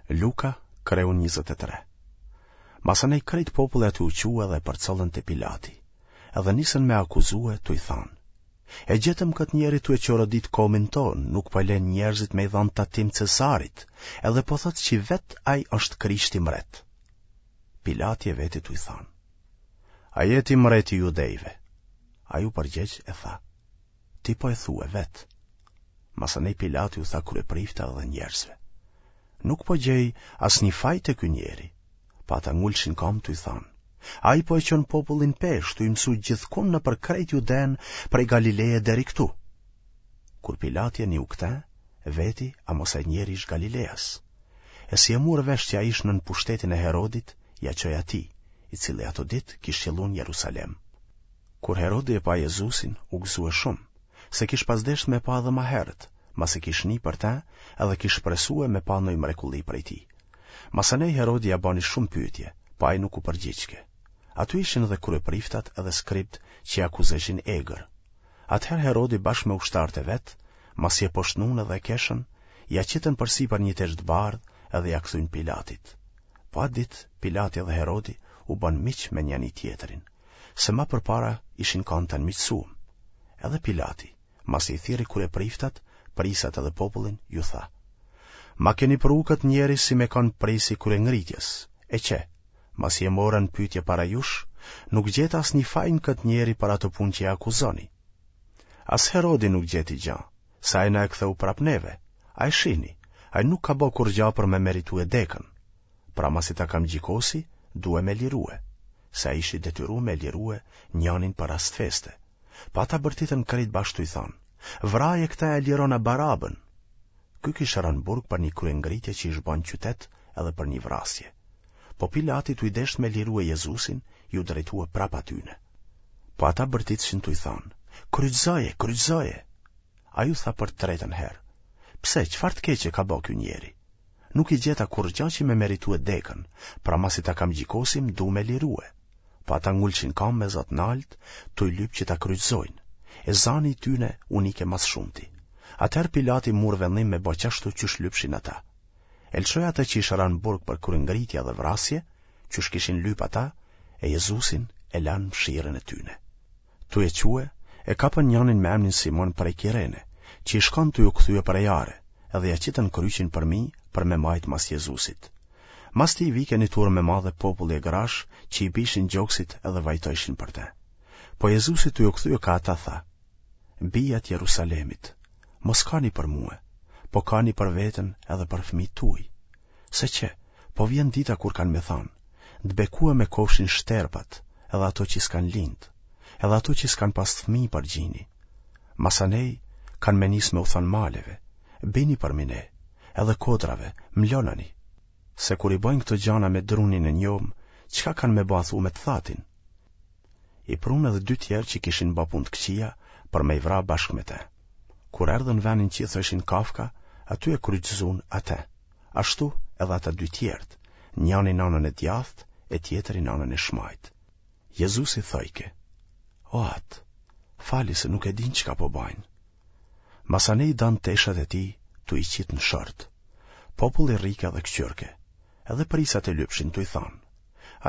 Luka, kreu 23. Masanej krejt populli aty u çua dhe e përcollën te Pilati, edhe nisën me akuzue tuj thanë. E gjetëm këtë njeri tu e çorodit komin tonë, nuk po len njerëzit me i dhanë tatim Cezarit, edhe po thotë që vetë ai është Krishti mret. Pilati e veti tuj thanë. A je ti mreti i judejve? Ai u përgjegj e tha. Ti po e thue vetë. Masanej Pilati u tha kryepriftave dhe njerëzve. Nuk po gjej asnjë faj te ky njeri. Po ata ngulshin kamë tuj thanë. Ai po e çon popullin pesh, tuj mësu gjithkund nëpër krejt Judenë prej Galileje deri këtu. Kur Pilati e niu këte, veti a mos ai njeri ish Galileas. E si e mur vesh që ai ish nën pushtetin e Herodit, ia çoi atij, i cili ato ditë kish qëllu në Jerusalem. Kur Herodi e pa Jezusin, u gëzue shumë, se kish pas deshtë me pa edhe ma herët, masi kish ni për te edhe kish shpresue me pa noj mrekulli prej tij. Masanej Herodi ia bani shumë pyetje, po ai nuk u përgjigjke. Aty ishin edhe kryepriftat edhe skribët që e akuzojshin egër. Atëherë Herodi bashkë me ushtarët e vet, masi e poshtnun edhe e keshën, ia qitën përsipër një teshë të bardhë edhe ia kthyn Pilatit. Po atë ditë Pilati edhe Herodi u bënë miq me njani-tjetrin. se ma përpara ishin kanë të anmiqësuem. Edhe Pilati, masi i thirri kryepriftat, prijsat edhe popullin, ju tha: Ma keni pru këtë njeri si me kanë prijës i kryengritjes, e qe, masi e mora në pyetje para jush, nuk gjeta asnjë faj në këtë njeri për ato punë që e akuzoni. As Herodi nuk gjeti gja, se ai na e ktheu prapë neve, a e shihni, ai nuk ka bo kurrgja për me meritue dekën. Pra masi ta kam gjikosi, due me lirue, se ai ish i detyru me lirue njanin për rast feste. Po ata bërtitën krejt bashkë tuj thanë, vraje këta e lirona Barabën! Ky kish ra në burg për një kryengritje që ish ba në qytet edhe për një vrasje. Po Pilati tuj deshtë me lirue Jezusin, iu drejtue prapë atyne. Po ata bërtitshin tuj thanë, kryqëzoje, kryqëzoje! Ai u tha për të tretën herë, pse, çfarë të keqe ka bo ky njeri? Nuk i gjeta kurrgja që me meritue dekën, pra masi ta kam gjikosi m'du me lirue. Po ata ngulshin kamë me za të naltë, tuj lypë që ta kryqëzojnë. E zani i tyne u nike ma s'shumti. Atëherë Pilati mur vendim me bo qashtu qysh lypshin ata. E lëshoi atë që ish ra në burg për kryengritje dhe vrasje, qysh kishin lypë ata, e Jezusin e lanë n'mëshirën e tyne. Tuj e çue, e kapën njanin me emnin Simon prej Kirene, që ish kanë tuj u kthye prej are, edhe ia qitën kryqin përmi për me majtë mas Jezusit. Mas tij vike një turmë e madhe populli e grash që i bijshin gjoksit edhe vajtojshin për te. Po Jezusi tuj u kthye ka ata tha, Bija t'Jerusalemit, mos kani për mue, po kani për veten edhe për fëmijët tuj. Se qe, po vjen dita kur kanë me thanë, të bekueme kofshin shterpat, edhe ato që s'kanë lindë, edhe ato që s'kanë pas fëmijë për gjini. Masanej kanë me nisë me u thanë maleve, bini përmi ne, edhe kodrave, mlonani. Se kur i bojnë këto gjana me drunin e njomë, çka kanë me ba thu me të thatin? I prunë edhe dy tjerë që kishin ba punë të këqija për me i vra bashkë me te. Kur erdhën n'venin që i thojshin Kafka, aty e kryqëzun atë. Ashtu edhe ata dy tjerët, njani n'anën e djathtë e tjetri n'anën e shmajtë. Jezusi thojke, O Atë, fali se nuk e dinë çka po bajnë. Masanej danë teshat e tij tuj i qitë në short. Populli rrike dhe këqyrke, edhe prijsat e lypshin tuj thanë.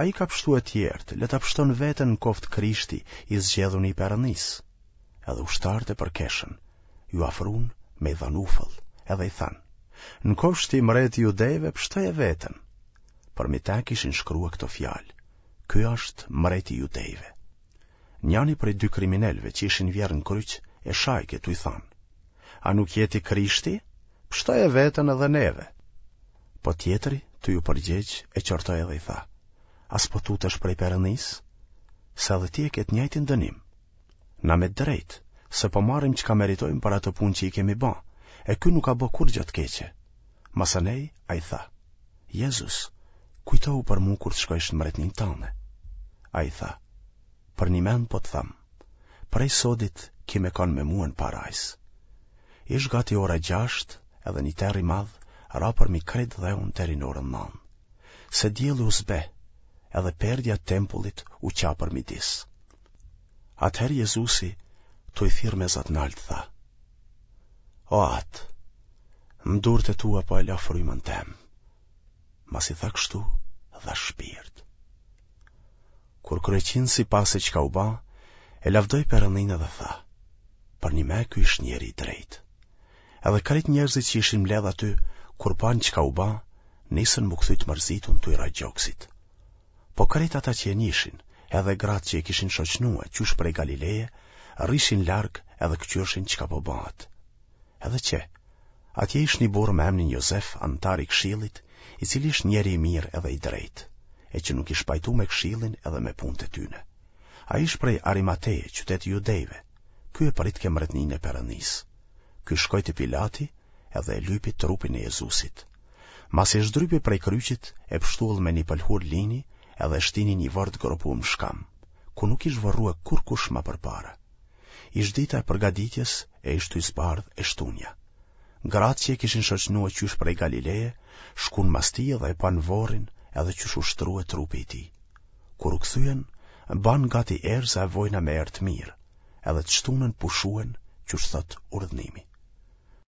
Ai ka pshtue tjerët, le ta pshton veten në koftë Krishti i zgjedhuni i Perëndisë. Edhe ushtarët e përkeshën, iu afrun me i dhanë ufëll, edhe i thanë, në kofsh ti mreti i judejve, pshtoje veten. Përmi te kishin shkrue këto fjalë, ky është mreti i judejve. Njani prej dy kriminelëve që ishin vjerrë në kryq e shajke tuj thanë, a nuk je ti Krishti? Pshtoje veten edhe neve. Po tjetri, tuj iu përgjegj, e qortoi edhe i tha, a s'po tutesh prej Perëndisë? Se edhe ti e ke të njëjtin dënim. Na me drejtë, se po marrim çka meritojmë për ato punë që i kemi ba, e ky nuk ka bo kurrgjë të keqe. Masanej, ai tha, Jezus, kujtohu për mu kur të shkojsh në mbretninë tane. Ai tha, përnjëmend po të them, prej sodit ki me kanë me mue në parajsë. Ish gati ora gjashtë edhe një terr i madh ra përmi krejt dheun deri në orën nanë. Se dielli u zbeh, edhe perdja e tempullit u qa përmidis. Atëherë Jezusi, tuj thirrë me za të naltë, tha, O Atë, në durët e tua po e la frymën tem. Masi tha kështu, dha shpirt. Kur kryeqindësi pa se çka u ba, e lavdoi Perëndinë dhe tha, Përnjëme ky ish njeri i drejtë. Edhe krejt njerëzit që ishin mbledh aty, kur panë çka u ba, nisën m'u kthy të mërzitun tuj ra gjoksit. Po krejt ata që e njishin, edhe gratë që e kishin shoqnue qysh prej Galileje, rrishin larg edhe këqyrshin çka po bahet. Edhe qe, atje ish një burrë me emnin Jozef, anëtar i këshillit, i cili ish njeri i mirë edhe i drejtë, e që nuk ish pajtu me këshillin edhe me punët e tyne. Ai ish prej Arimateje, qytet i judejve, ky e pritke mbretninë e Perëndisë. Ky shkoi te Pilati edhe e lypi trupin e Jezusit. Masi e zhdrypi prej kryqit, e pështull me një pëlhurë lini edhe e shtini n'një vorr të gropum n'shkam, ku nuk ish vorrue kurkush ma përpara. Ish dita e përgatitjes e ish tuj zbardh e shtunja. Gratë që e kishin shoqnue qysh prej Galileje, shkun mas tij dhe e panë vorrin edhe qysh u shtrue trupi i tij. Kur u kthyen, banë gati erëza e vojna me erë të mirë, edhe të shtunën pushuen qysh thotë urdhnimi.